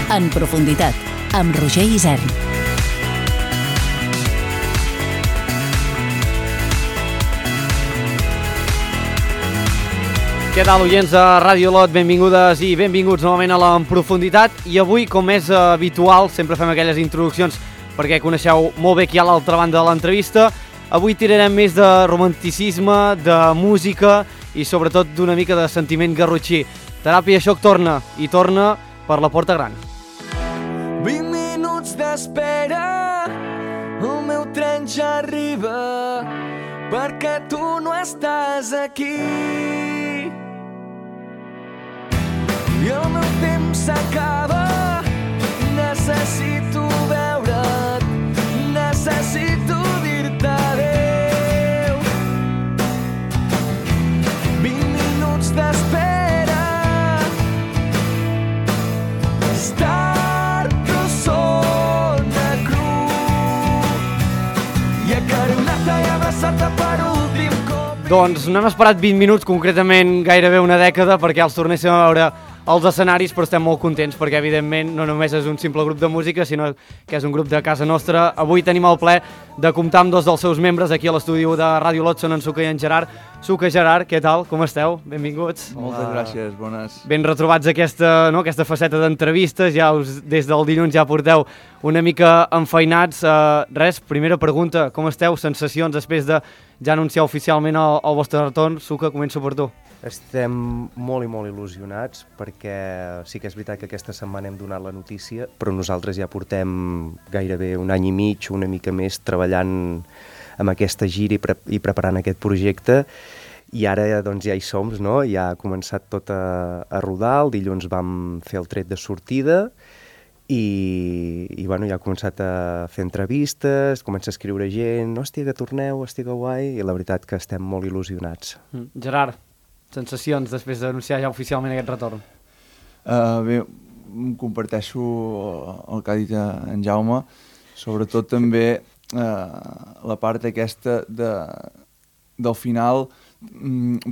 En profunditat, amb Roger Isern. Què tal, oients de Ràdio Lot? Benvingudes i benvinguts novament a la En Profunditat. I avui, com és habitual, sempre fem aquelles introduccions perquè coneixeu molt bé qui hi ha a l'altra banda de l'entrevista. Avui tirarem més de romanticisme, de música i sobretot d'una mica de sentiment garrotxí. Teràpia Xoc torna, i torna per la Porta Gran. 20 minuts d'espera, el meu tren ja arriba, perquè tu no estàs aquí. I el meu temps s'acaba, necessito veure't, necessito dir-te adéu. 20 minuts d'espera, és tard però sona cru, i acaronat-te i abraçat-te per últim cop. Doncs no hem esperat 20 minuts, concretament gairebé una dècada, perquè els tornéssim a veure als escenaris, però estem molt contents perquè evidentment no només és un simple grup de música, sinó que és un grup de casa nostra. Avui tenim el plaer de comptar amb dos dels seus membres aquí a l'estudi de Ràdio Lot, són en Suca i en Gerard. Suca, Gerard, què tal? Com esteu? Benvinguts. Moltes gràcies, bones. Ben retrobats aquesta faceta d'entrevistes, ja des del dilluns ja porteu una mica enfeinats. Primera pregunta, com esteu? Sensacions després de ja anunciar oficialment el vostre retorn? Suca, començo per tu. Estem molt i molt il·lusionats perquè sí que és veritat que aquesta setmana hem donat la notícia, però nosaltres ja portem gairebé un any i mig, una mica més, treballant amb aquesta gira i preparant aquest projecte, i ara doncs, ja hi som, no? Ja ha començat tot a rodar, el dilluns vam fer el tret de sortida i bueno, ja ha començat a fer entrevistes, comença a escriure gent, hòstia, que torneu, hòstia, que guai, i la veritat que estem molt il·lusionats. Gerard, sensacions després d'anunciar ja oficialment aquest retorn? Bé, comparteixo el que ha dit en Jaume, sobretot també la part aquesta del final,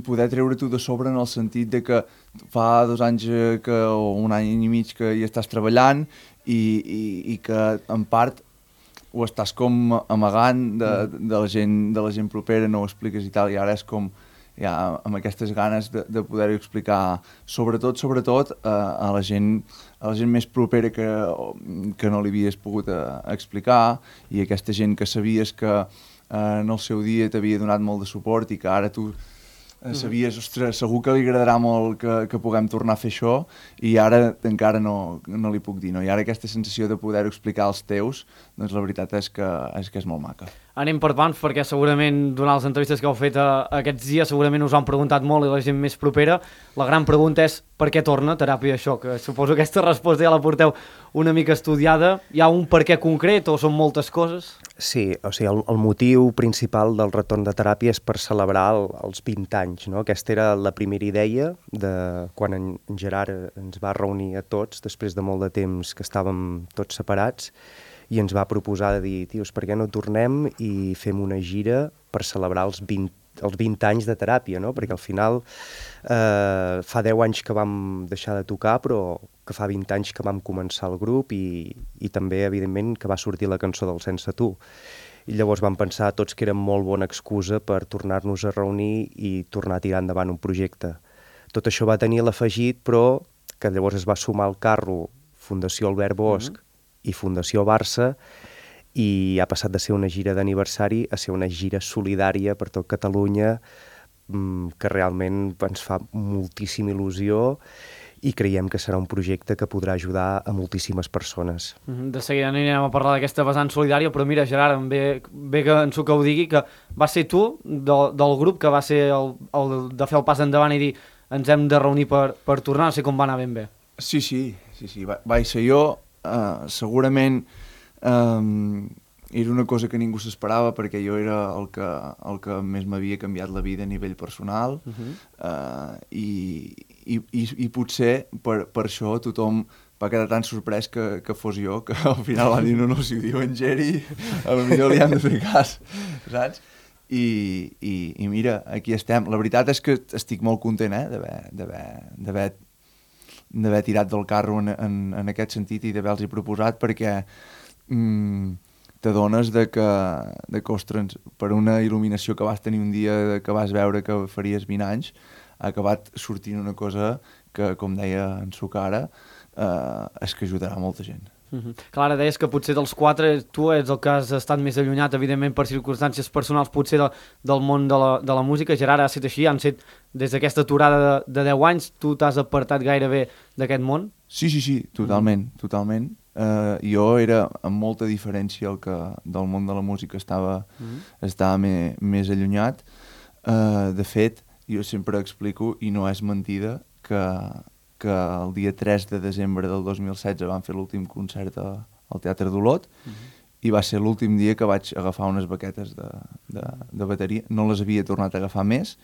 poder treure-t'ho de sobre en el sentit de que fa 2 anys o un any i mig que hi estàs treballant i que en part ho estàs com amagant de la gent propera, no ho expliques i tal, i ara és com ja amb aquestes ganes de poder-ho explicar, sobretot a la gent més propera que no li havies pogut explicar, i aquesta gent que sabies que en el seu dia t'havia donat molt de suport i que ara tu sabies, ostres, segur que li agradarà molt que puguem tornar a fer això, i ara encara no li puc dir, no? I ara aquesta sensació de poder-ho explicar als teus, doncs la veritat és que és molt maca. Anem per pams, perquè segurament durant les entrevistes que heu fet aquests dies segurament us han preguntat molt, i la gent més propera. La gran pregunta és per què torna Teràpia Xoc? Suposo que aquesta resposta ja la porteu una mica estudiada. Hi ha un per què concret o són moltes coses? Sí, o sigui, el motiu principal del retorn de Teràpia és per celebrar els 20 anys, no? Aquesta era la primera idea de quan en Gerard ens va reunir a tots, després de molt de temps que estàvem tots separats, i ens va proposar de dir, tios, per què no tornem i fem una gira per celebrar els 20 anys de Teràpia, no? Perquè al final fa 10 anys que vam deixar de tocar, però que fa 20 anys que vam començar el grup i també, evidentment, que va sortir la cançó del Sense Tu. I llavors vam pensar tots que era molt bona excusa per tornar-nos a reunir i tornar a tirar endavant un projecte. Tot això va tenir l'afegit, però que llavors es va sumar al carro Fundació Albert Bosch i Fundació Barça, i ha passat de ser una gira d'aniversari a ser una gira solidària per tot Catalunya, que realment ens fa moltíssima il·lusió i creiem que serà un projecte que podrà ajudar a moltíssimes persones. De seguida anirem a parlar d'aquesta vessant solidària, però mira, Gerard, em ve que en Suca ho digui, que va ser tu, del grup, que va ser el de fer el pas endavant i dir ens hem de reunir per tornar, no sé com va anar ben bé. Sí, vaig ser jo. Segurament era una cosa que ningú s'esperava, perquè jo era el que més m'havia canviat la vida a nivell personal, i potser per això tothom va quedar tan sorprès que fos jo, que al final va dir no, si ho diu en Geri, potser li han de fer cas, saps? I mira, aquí estem. La veritat és que estic molt content d'haver d'haver tirat del carro en aquest sentit i d'haver-los proposat, perquè t'adones que ostres, per una il·luminació que vas tenir un dia que vas veure que faries 20 anys, ha acabat sortint una cosa que, com deia en Sucara, és que ajudarà molta gent. Clar, ara deies que potser dels 4 tu ets el que has estat més allunyat, evidentment per circumstàncies personals potser del món de la música. Gerard, ha estat així? Han set des d'aquesta aturada de 10 anys, tu t'has apartat gairebé d'aquest món? Sí, totalment. Jo era amb molta diferència el que del món de la música estava més allunyat. De fet, jo sempre explico, i no és mentida, que el dia 3 de desembre del 2016 van fer l'últim concert al Teatre d'Olot i va ser l'últim dia que vaig agafar unes baquetes de bateria. No les havia tornat a agafar més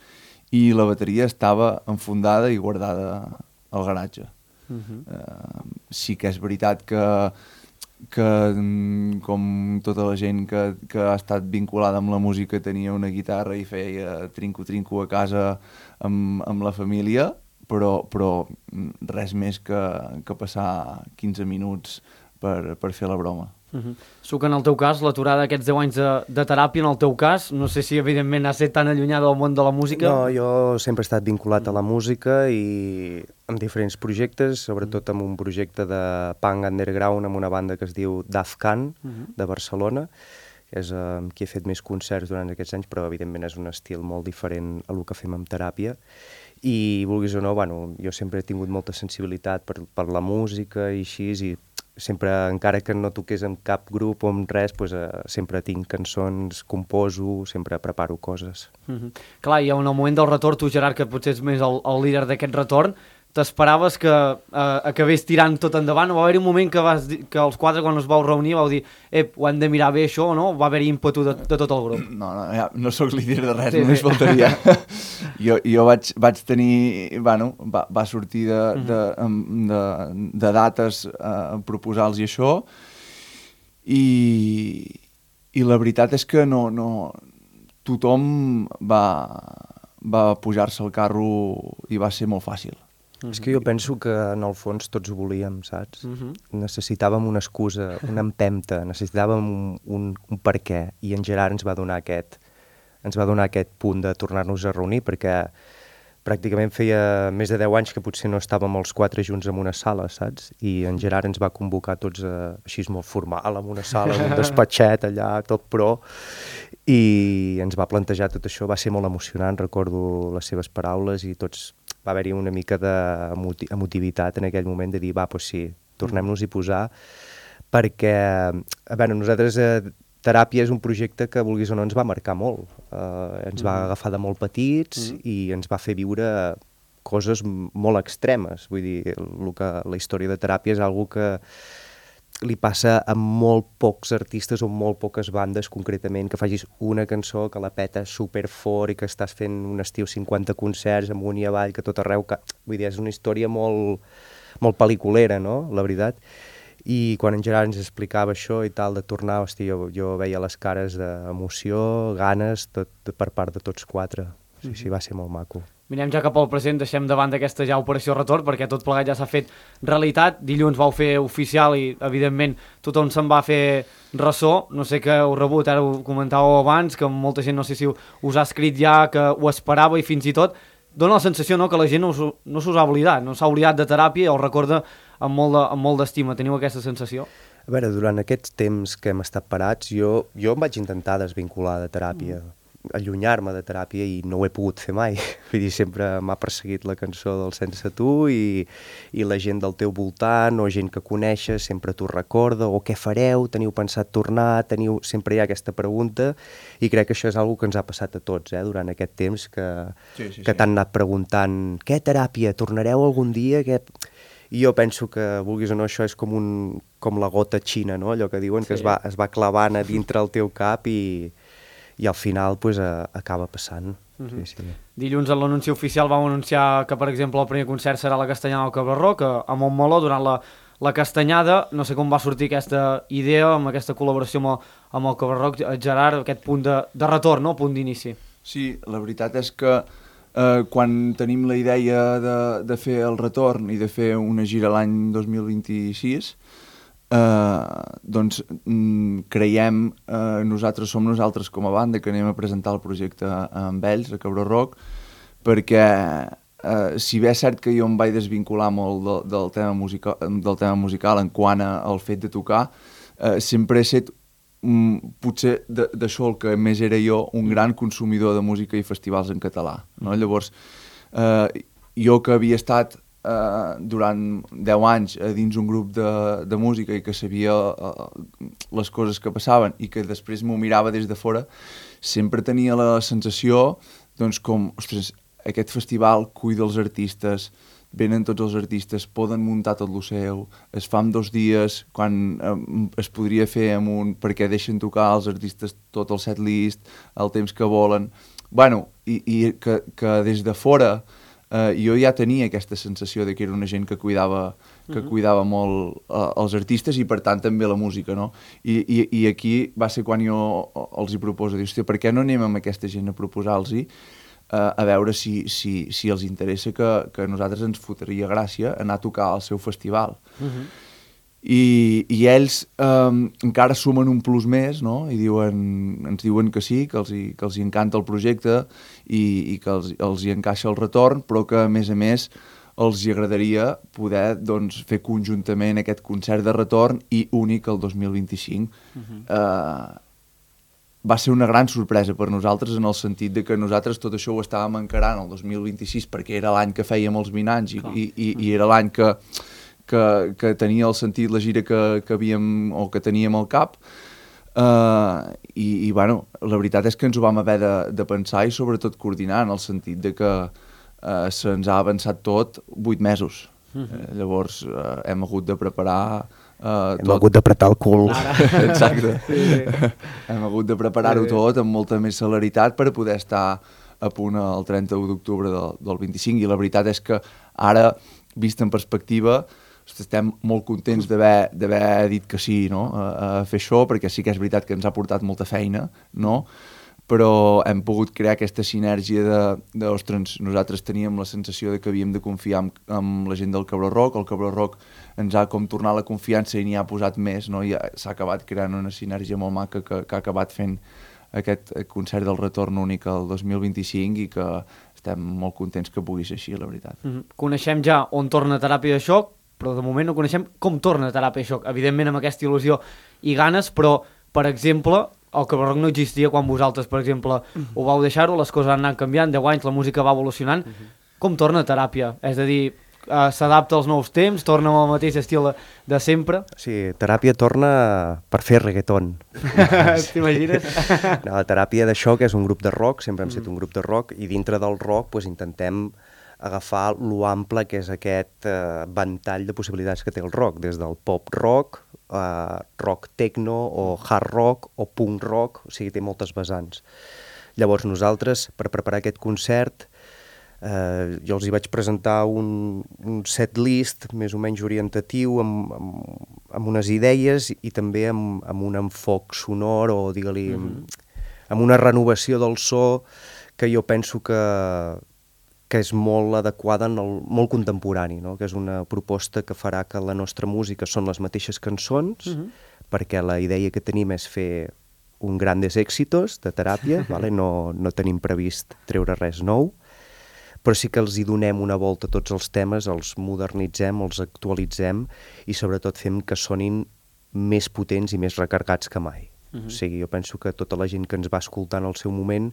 i la bateria estava enfundada i guardada al garatge. Sí que és veritat que com tota la gent que ha estat vinculada amb la música tenia una guitarra i feia trinco-trinco a casa amb la família, però res més que passar 15 minuts per fer la broma. Suc, en el teu cas, l'aturada d'aquests 10 anys de teràpia, en el teu cas, no sé si evidentment has estat tan allunyada del món de la música. No, jo sempre he estat vinculat a la música i amb diferents projectes, sobretot amb un projecte de punk underground amb una banda que es diu Dafkan, de Barcelona, que és amb qui he fet més concerts durant aquests anys, però evidentment és un estil molt diferent a el que fem amb teràpia. I vulguis o no, jo sempre he tingut molta sensibilitat per la música i així, i sempre, encara que no toqués amb cap grup o amb res, sempre tinc cançons, composo, sempre preparo coses. Clar, i en el moment del retorn, tu, Gerard, que potser ets més el líder d'aquest retorn, t'esperaves que acabés tirant tot endavant, o va haver-hi un moment que els 4, quan us vau reunir, vau dir ho hem de mirar bé això, o no? Va haver-hi ímpetu de tot el grup? No sóc líder de res, només faltaria. Jo vaig tenir... va sortir de dates a proposar-los i això, i la veritat és que no tothom va pujar-se al carro i va ser molt fàcil. És que jo penso que en el fons tots ho volíem, saps? Necessitàvem una excusa, una empenta, necessitàvem un per què, i en Gerard ens va donar aquest punt de tornar-nos a reunir, perquè pràcticament feia més de 10 anys que potser no estàvem els 4 junts en una sala, saps? I en Gerard ens va convocar tots així molt formal, en una sala, en un despatxet allà, tot pro, i ens va plantejar tot això. Va ser molt emocionant, recordo les seves paraules, i tots va haver-hi una mica d'emotivitat en aquell moment de dir, sí, tornem-nos-hi posar, perquè, nosaltres Teràpia és un projecte que, vulguis o no, ens va marcar molt. Ens va agafar de molt petits i ens va fer viure coses molt extremes. Vull dir, la història de Teràpia és algo que li passa a molt pocs artistes o molt poques bandes, concretament, que facis una cançó que la peta superfort i que estàs fent un estiu 50 concerts amunt i avall, que tot arreu... Vull dir, és una història molt pel·liculera, no?, la veritat. I quan en Gerard ens explicava això i tal, de tornar, jo veia les cares d'emoció, ganes, tot per part de tots 4. Sí, va ser molt maco. Mirem ja cap al present, deixem davant d'aquesta ja operació retorn, perquè tot plegat ja s'ha fet realitat. Dilluns vau fer oficial i, evidentment, tothom se'n va fer ressò. No sé què heu rebut, ara ho comentàveu abans, que molta gent no sé si us ha escrit ja, que ho esperava, i fins i tot dona la sensació, no?, que la gent no s'us ha oblidat, no s'ha oblidat de Teràpia i el recorda amb molt d'estima. Teniu aquesta sensació? A veure, durant aquests temps que hem estat parats, jo em vaig intentar desvincular de Teràpia, allunyar-me de Teràpia, i no ho he pogut fer mai. Vull dir, sempre m'ha perseguit la cançó del Sense Tu, i la gent del teu voltant o gent que coneixes sempre t'ho recorda, o què fareu, teniu pensat tornar, sempre hi ha aquesta pregunta, i crec que això és una cosa que ens ha passat a tots, durant aquest temps, que t'han anat preguntant, què Teràpia, tornareu algun dia? I jo penso que, vulguis o no, això és com la gota xina, no?, allò que diuen, que es va clavant a dintre el teu cap i al final acaba passant. Sí. Dilluns en l'anunci oficial vau anunciar que, per exemple, el primer concert serà la Castanyada del Cabreró, que a Montmeló, durant la Castanyada, no sé com va sortir aquesta idea, amb aquesta col·laboració amb el Cabreró, Gerard, aquest punt de retorn, no?, punt d'inici. Sí, la veritat és que quan tenim la idea de fer el retorn i de fer una gira l'any 2026, doncs creiem, som nosaltres com a banda que anem a presentar el projecte amb ells, a Cabró Rock, perquè si bé és cert que jo em vaig desvincular molt del tema musical en quant al fet de tocar, sempre he estat potser d'això el que més era jo, un gran consumidor de música i festivals en català, no? Llavors, jo que havia estat durant 10 anys dins un grup de música i que sabia les coses que passaven i que després m'ho mirava des de fora, sempre tenia la sensació, doncs, com, ostres, aquest festival cuida els artistes, venen tots els artistes, poden muntar tot el seu, es fa en 2 dies, quan es podria fer en un, perquè deixen tocar els artistes tot el setlist, el temps que volen. Bueno, i que des de fora jo ja tenia aquesta sensació de que era una gent que cuidava molt els artistes i per tant també la música, no? I aquí va ser quan jo els hi proposo, dius, hòstia, per què no anem amb aquesta gent a proposar-los-hi a veure si els interessa que a nosaltres ens fotria gràcia anar a tocar al seu festival. I ells encara sumen un plus més, no? I ens diuen que sí, que els hi encanta el projecte i que els hi encaixa el retorn, però que a més els hi agradaria poder, doncs, fer conjuntament aquest concert de retorn i únic el 2025. Va ser una gran sorpresa per nosaltres en el sentit de que nosaltres tot això ho estàvem encarant el 2026 perquè era l'any que fèiem els 20 anys i era l'any que tenia el sentit la gira que havíem o que teníem al cap i bueno, la veritat és que ens ho vam haver de pensar i sobretot coordinar en el sentit de que se'ns ha avançat tot 8 mesos. Llavors hem hagut de preparar hem hagut d'apretar el cul. Exacte. Hem hagut de preparar-ho tot amb molta més celeritat per poder estar a punt el 31 d'octubre del 25 i la veritat és que ara, vist en perspectiva, estem molt contents d'haver dit que sí, no? A fer això, perquè sí que és veritat que ens ha portat molta feina, no? Però hem pogut crear aquesta sinergia ostres, nosaltres teníem la sensació de que havíem de confiar en la gent del Cabró Rock, el Cabró Rock ens ha com tornat la confiança i n'hi ha posat més, no? I s'ha acabat creant una sinergia molt maca que ha acabat fent aquest concert del retorn únic el 2025 i que estem molt contents que pugui ser així, la veritat. Coneixem ja on torna Teràpia de Xoc, però de moment no coneixem com torna Teràpia de Xoc, evidentment amb aquesta il·lusió i ganes, però, per exemple, el Cabró Rock no existia quan vosaltres, per exemple, ho vau deixar-ho, les coses han anat canviant, 10 anys, la música va evolucionant. Com torna Teràpia? És a dir, s'adapta als nous temps, torna amb el mateix estil de sempre? Sí, Teràpia torna per fer reggaeton. T'imagines? No, Teràpia de Xoc és un grup de rock, sempre hem estat un grup de rock, i dintre del rock pues, intentem agafar lo ample que és aquest ventall de possibilitats que té el rock, des del pop rock, rock techno o hard rock o punk rock, o sigui, té moltes vessants. Llavors nosaltres, per preparar aquest concert, jo els hi vaig presentar un set list més o menys orientatiu amb unes idees i també amb un enfoc sonor o digue-li amb una renovació del so que jo penso que és molt adequada, molt contemporani, no? Que és una proposta que farà que la nostra música són les mateixes cançons, perquè la idea que tenim és fer un grandes éxitos de Teràpia, vale? No tenim previst treure res nou, però sí que els hi donem una volta a tots els temes, els modernitzem, els actualitzem i sobretot fem que sonin més potents i més recarregats que mai. O sigui, jo penso que tota la gent que ens va escoltar en el seu moment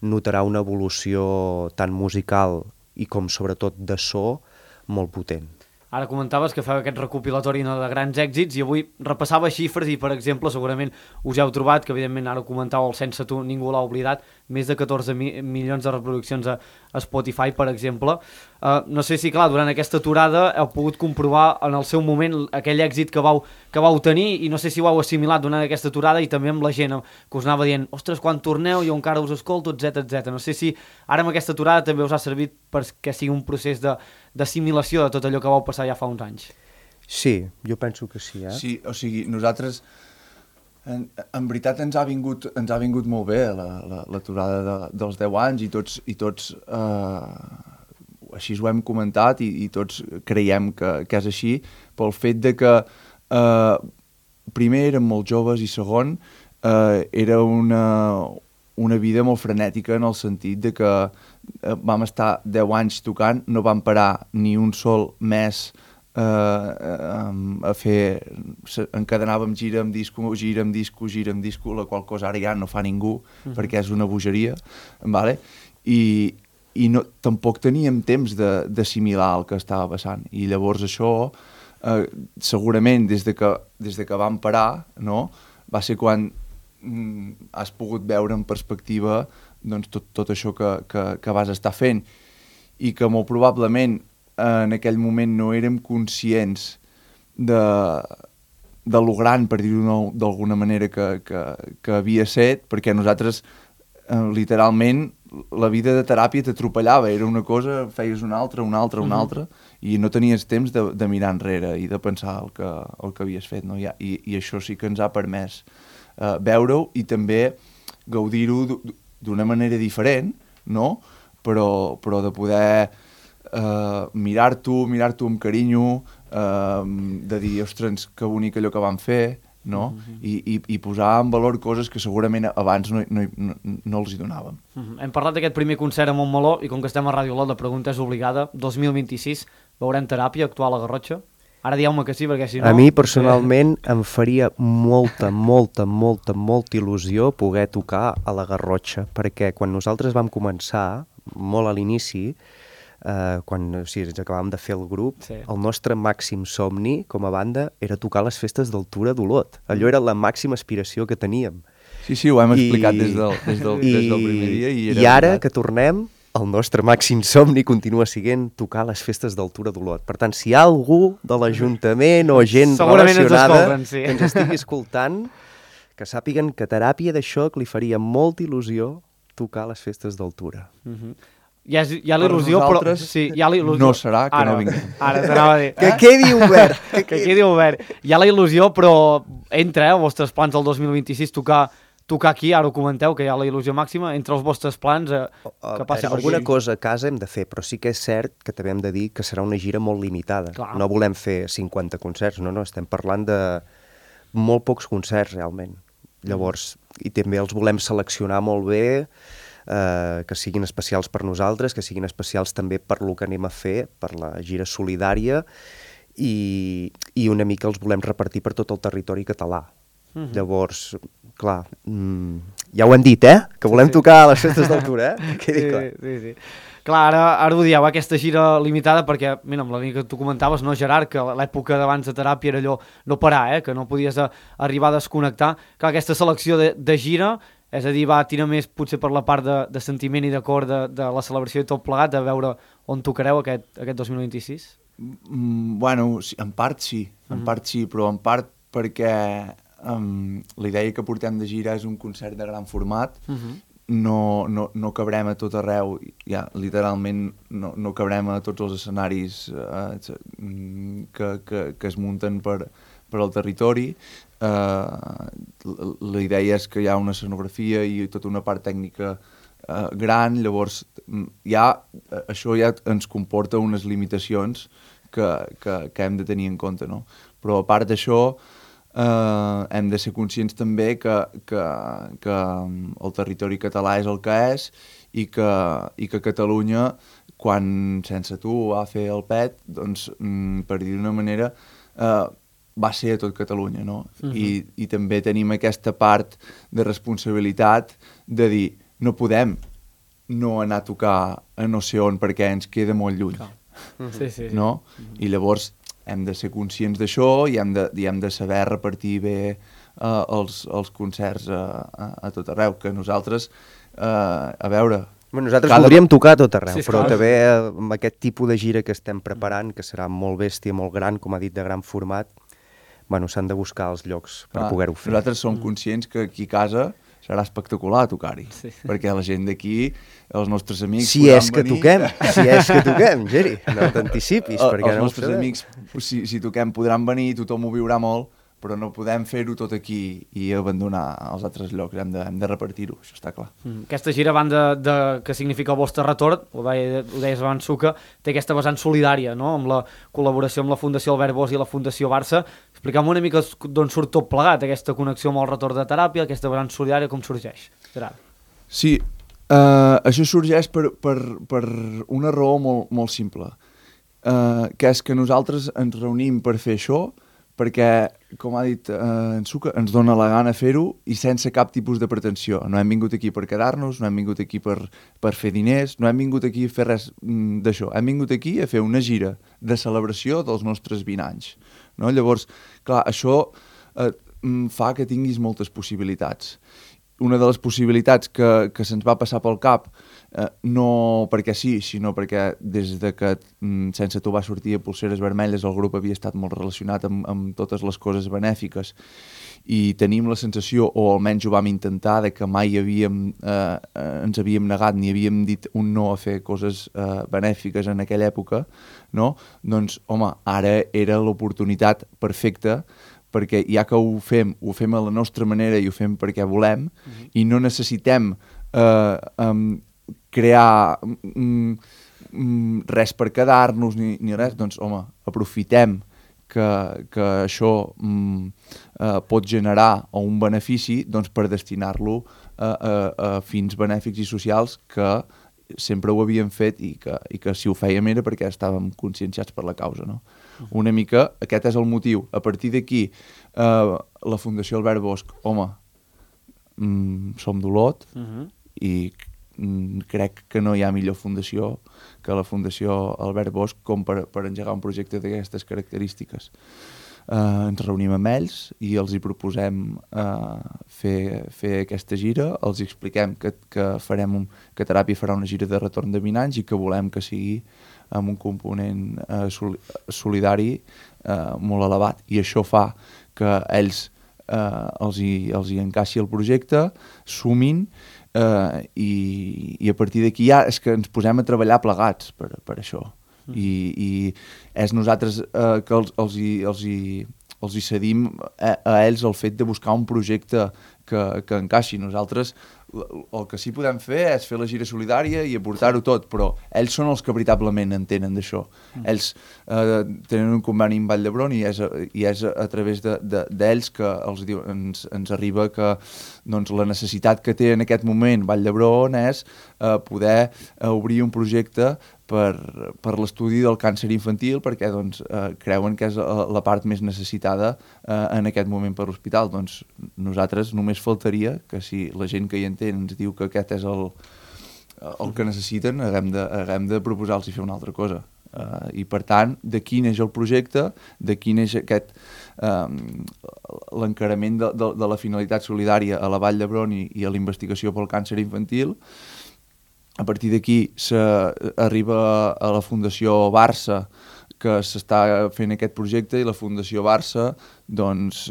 notarà una evolució tant musical i com sobretot de so molt potent. Ara comentaves que feu aquest recopilatori de grans èxits i avui repassava xifres i, per exemple, segurament us heu trobat, que evidentment ara ho comentàveu, el Sense Tu ningú l'ha oblidat, més de 14 milions de reproduccions a Spotify, per exemple. No sé si, clar, durant aquesta aturada heu pogut comprovar en el seu moment aquell èxit que vau tenir i no sé si ho heu assimilat durant aquesta aturada i també amb la gent que us anava dient ostres, quan torneu jo encara us escolto, etc. No sé si ara amb aquesta aturada també us ha servit perquè sigui un procés d'assimilació de tot allò que vau passar ja fa uns anys. Sí, jo penso que sí, Sí, o sigui, nosaltres En veritat ens ha vingut molt bé l'aturada dels 10 anys i tots així ho hem comentat i tots creiem que és així, pel fet de que primer érem molt joves i segon era una vida molt frenètica en el sentit de que vam estar 10 anys tocant, no vam parar ni un sol mes a fer, encadenàvem gira amb disco, la qual cosa ara ja no fa ningú perquè és una bogeria, vale? I no, tampoc teníem temps d'assimilar el que estava passant i llavors això segurament des de que vam parar, no? Va ser quan has pogut veure en perspectiva doncs, tot això que vas estar fent i que molt probablement en aquell moment no érem conscients de lo gran, per dir-ho d'alguna manera, que havia set, perquè nosaltres literalment la vida de teràpia t'atropellava, era una cosa, feies una altra, i no tenies temps de mirar enrere i de pensar el que havies fet, no? I això sí que ens ha permès veure-ho i també gaudir-ho d'una manera diferent, no? Però de poder mirar-t'ho amb carinyo, de dir, ostres, que bonic allò que vam fer, no? I posar en valor coses que segurament abans no els hi donàvem. Hem parlat d'aquest primer concert a Montmeló i com que estem a Ràdio Lot la pregunta és obligada. 2026 veurem Teràpia actuar a la Garrotxa? Ara dieu-me que sí, perquè si no... A mi personalment em faria molta il·lusió poder tocar a la Garrotxa, perquè quan nosaltres vam començar, molt a l'inici, quan ens acabàvem de fer el grup, el nostre màxim somni com a banda era tocar les festes del Tura d'Olot. Allò era la màxima aspiració que teníem. Sí, ho hem explicat des del primer dia. I ara que tornem, el nostre màxim somni continua sent tocar les festes del Tura d'Olot. Per tant, si hi ha algú de l'Ajuntament o gent relacionada que ens estigui escoltant, que sàpiguen que Teràpia d'això que li faria molta il·lusió tocar les festes del Tura. Hi ha l'il·lusió, però... Sí, hi ha l'il·lusió. No serà que no vinguem. Ara t'anava a dir. Que quedi obert. Que quedi obert. Hi ha la il·lusió, però entra, els vostres plans del 2026, tocar aquí, ara ho comenteu, que hi ha la il·lusió màxima, entre els vostres plans que passi per aquí. Alguna cosa a casa hem de fer, però sí que és cert que també hem de dir que serà una gira molt limitada. Clar. No volem fer 50 concerts, no, estem parlant de molt pocs concerts, realment. Llavors, i també els volem seleccionar molt bé, que siguin especials per nosaltres, que siguin especials també per lo que anem a fer, per la gira solidària, i una mica els volem repartir per tot el territori català. Llavors, clar, ja ho hem dit, que volem tocar a les festes d'altura, quedi clar. Sí. Clar, ara ho dieu, aquesta gira limitada, perquè, mira, amb la línia que tu comentaves, no, Gerard, que l'època d'abans de Teràpia era allò no parar, que no podies arribar a desconnectar. Clar, aquesta selecció de gira, és a dir, va tirar més potser per la part de sentiment i d'acord de la celebració i tot plegat, de veure on tocareu aquest 2026? Bueno, en part sí, però en part perquè la idea que portem de gira és un concert de gran format, no cabrem a tot arreu, ja, literalment no cabrem a tots els escenaris que es munten per al territori. La idea és que hi ha una escenografia i tota una part tècnica gran, llavors això ja ens comporta unes limitacions que hem de tenir en compte, no? Però a part d'això hem de ser conscients també que el territori català és el que és i que Catalunya, quan sense tu va fer el pet, doncs, per dir d'una manera, va ser a tot Catalunya, no? I també tenim aquesta part de responsabilitat de dir, no podem no anar a tocar a no sé on perquè ens queda molt lluny, no? I llavors hem de ser conscients d'això i hem de saber repartir bé els concerts a tot arreu, que nosaltres, a veure... Nosaltres podríem tocar a tot arreu, però també amb aquest tipus de gira que estem preparant, que serà molt bèstia, molt gran, com ha dit, de gran format, s'han de buscar els llocs per poder-ho fer. Nosaltres som conscients que aquí a casa serà espectacular tocar-hi, perquè la gent d'aquí, els nostres amics... Si és que toquem, Geri, no t'anticipis, perquè els nostres amics, si toquem, podran venir, tothom ho viurà molt, però no podem fer-ho tot aquí i abandonar els altres llocs, hem de repartir-ho, això està clar. Aquesta gira, a banda que significa el vostre retorn, ho deies abans, Suca, té aquesta vessant solidària, no?, amb la col·laboració amb la Fundació Albert Bosch i la Fundació Barça. Explica'm una mica d'on surt tot plegat, aquesta connexió amb el retorn de teràpia, aquesta vessant solidària, com sorgeix, Gerard? Sí, això sorgeix per una raó molt simple, que és que nosaltres ens reunim per fer això perquè, com ha dit en Suca, ens dona la gana fer-ho i sense cap tipus de pretensió. No hem vingut aquí per quedar-nos, no hem vingut aquí per fer diners, no hem vingut aquí a fer res d'això. Hem vingut aquí a fer una gira de celebració dels nostres 20 anys. No? Llavors, clar, això fa que tinguis moltes possibilitats. Una de les possibilitats que se'ns va passar pel cap, no perquè sí, sinó perquè des de que Sense Tu va sortir a Polseres Vermelles el grup havia estat molt relacionat amb totes les coses benèfiques i tenim la sensació, o almenys ho vam intentar, de que mai ens havíem negat ni havíem dit un no a fer coses benèfiques en aquella època, no? Doncs, home, ara era l'oportunitat perfecta perquè ja que ho fem a la nostra manera i ho fem perquè volem i no necessitem crear res per quedar-nos ni res, doncs home, aprofitem que això pot generar un benefici doncs, per destinar-lo a fins benèfics i socials que sempre ho havíem fet i que si ho fèiem era perquè estàvem conscienciats per la causa, no? Una mica, aquest és el motiu. A partir d'aquí, la Fundació Albert Bosch, home, som d'Olot i crec que no hi ha millor fundació que la Fundació Albert Bosch com per engegar un projecte d'aquestes característiques. Ens reunim amb ells i els hi proposem fer aquesta gira, els expliquem que Teràpia farà una gira de retorn de 20 anys i que volem que sigui amb un component solidari molt elevat. I això fa que ells els hi encaixi el projecte, sumin i a partir d'aquí ja és que ens posem a treballar plegats per això. I és nosaltres que els hi cedim a ells el fet de buscar un projecte que encaixi. Nosaltres el que sí podem fer és fer la gira solidària i aportar-ho tot, però ells són els que veritablement entenen d'això. Ells tenen un conveni amb Vall d'Hebron i és a través d'ells que ens arriba que doncs, la necessitat que té en aquest moment Vall d'Hebron és poder obrir un projecte per l'estudi del càncer infantil perquè doncs, creuen que és la part més necessitada en aquest moment per l'hospital. Doncs nosaltres només faltaria que si la gent que hi entén ens diu que aquest és el que necessiten, haguem de proposar-los fer una altra cosa. I per tant, d'aquí neix el projecte, d'aquí neix aquest l'encarament de la finalitat solidària a la Vall d'Hebron i a la investigació pel càncer infantil. A partir d'aquí s'arriba a la Fundació Barça, que s'està fent aquest projecte, i la Fundació Barça doncs,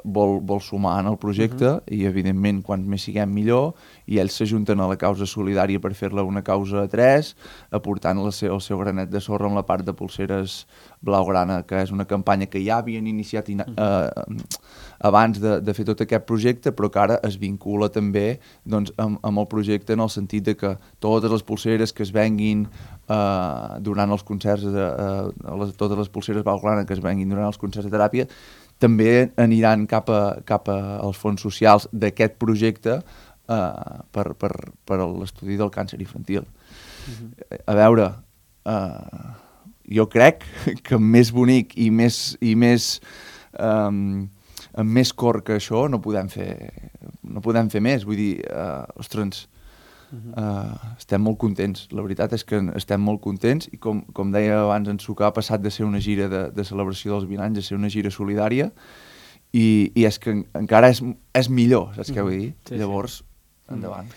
vol sumar en el projecte i, evidentment, quant més siguem millor, i ells s'ajunten a la causa solidària per fer-la una causa a 3, aportant el seu granet de sorra en la part de Polseres Blaugrana, que és una campanya que ja havien iniciat abans de fer tot aquest projecte, però que ara es vincula també doncs, amb el projecte en el sentit de que totes les polseres que es venguin durant els concerts, totes les polseres Blaugrana que es venguin durant els concerts de teràpia, també aniran cap als fons socials d'aquest projecte per l'estudi del càncer infantil. A veure, jo crec que més bonic i amb més cor que això no podem fer més. Vull dir, ostres, estem molt contents. La veritat és que estem molt contents i com deia abans en Suca, ha passat de ser una gira de celebració dels 20 anys a ser una gira solidària i és que encara és millor, saps què vull dir? Sí, llavors, endavant.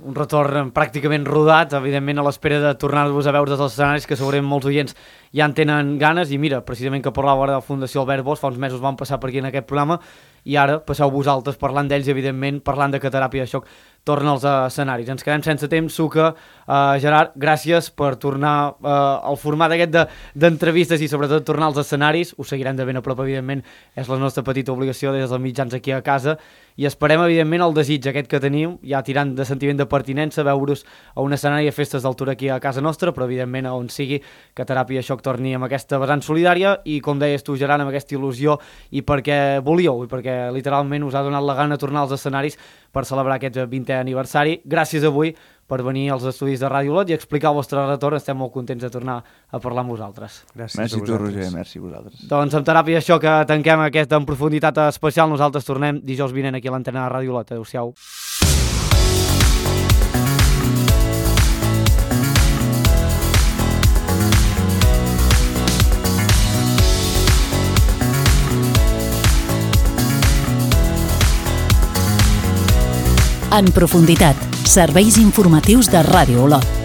Un retorn pràcticament rodat, evidentment a l'espera de tornar-vos a veure dels escenaris, que segurament molts oients ja en tenen ganes, i mira, precisament que parlava de la Fundació Albert Bosch, fa uns mesos van passar per aquí en aquest programa, i ara passeu vosaltres parlant d'ells, evidentment, parlant de que Teràpia de Xoc torna als escenaris. Ens quedem sense temps, Suca. Gerard, gràcies per tornar al format aquest d'entrevistes i sobretot tornar als escenaris. Us seguirem de ben a prop, evidentment, és la nostra petita obligació des dels mitjans aquí a casa, i esperem, evidentment, el desig aquest que teniu, ja tirant de sentiment de pertinença, veure-us a un escenari a festes d'altura aquí a casa nostra, però, evidentment, a on sigui, que Teràpia de Xoc torni amb aquesta vessant solidària i, com deies tu, Gerard, amb aquesta il·lusió i perquè volíeu, i perquè literalment us ha donat la gana tornar als escenaris per celebrar aquest 20è aniversari. Gràcies avui per venir als estudis de Ràdio Olot i explicar el vostre retorn. Estem molt contents de tornar a parlar amb vosaltres. Gràcies merci a tu, Roger, merci a vosaltres. Doncs amb Teràpia de Xoc que tanquem aquesta en profunditat especial. Nosaltres tornem dijous vinent aquí a l'antena de Ràdio Olot. Adéu-siau. En profunditat, serveis informatius de Ràdio Olot.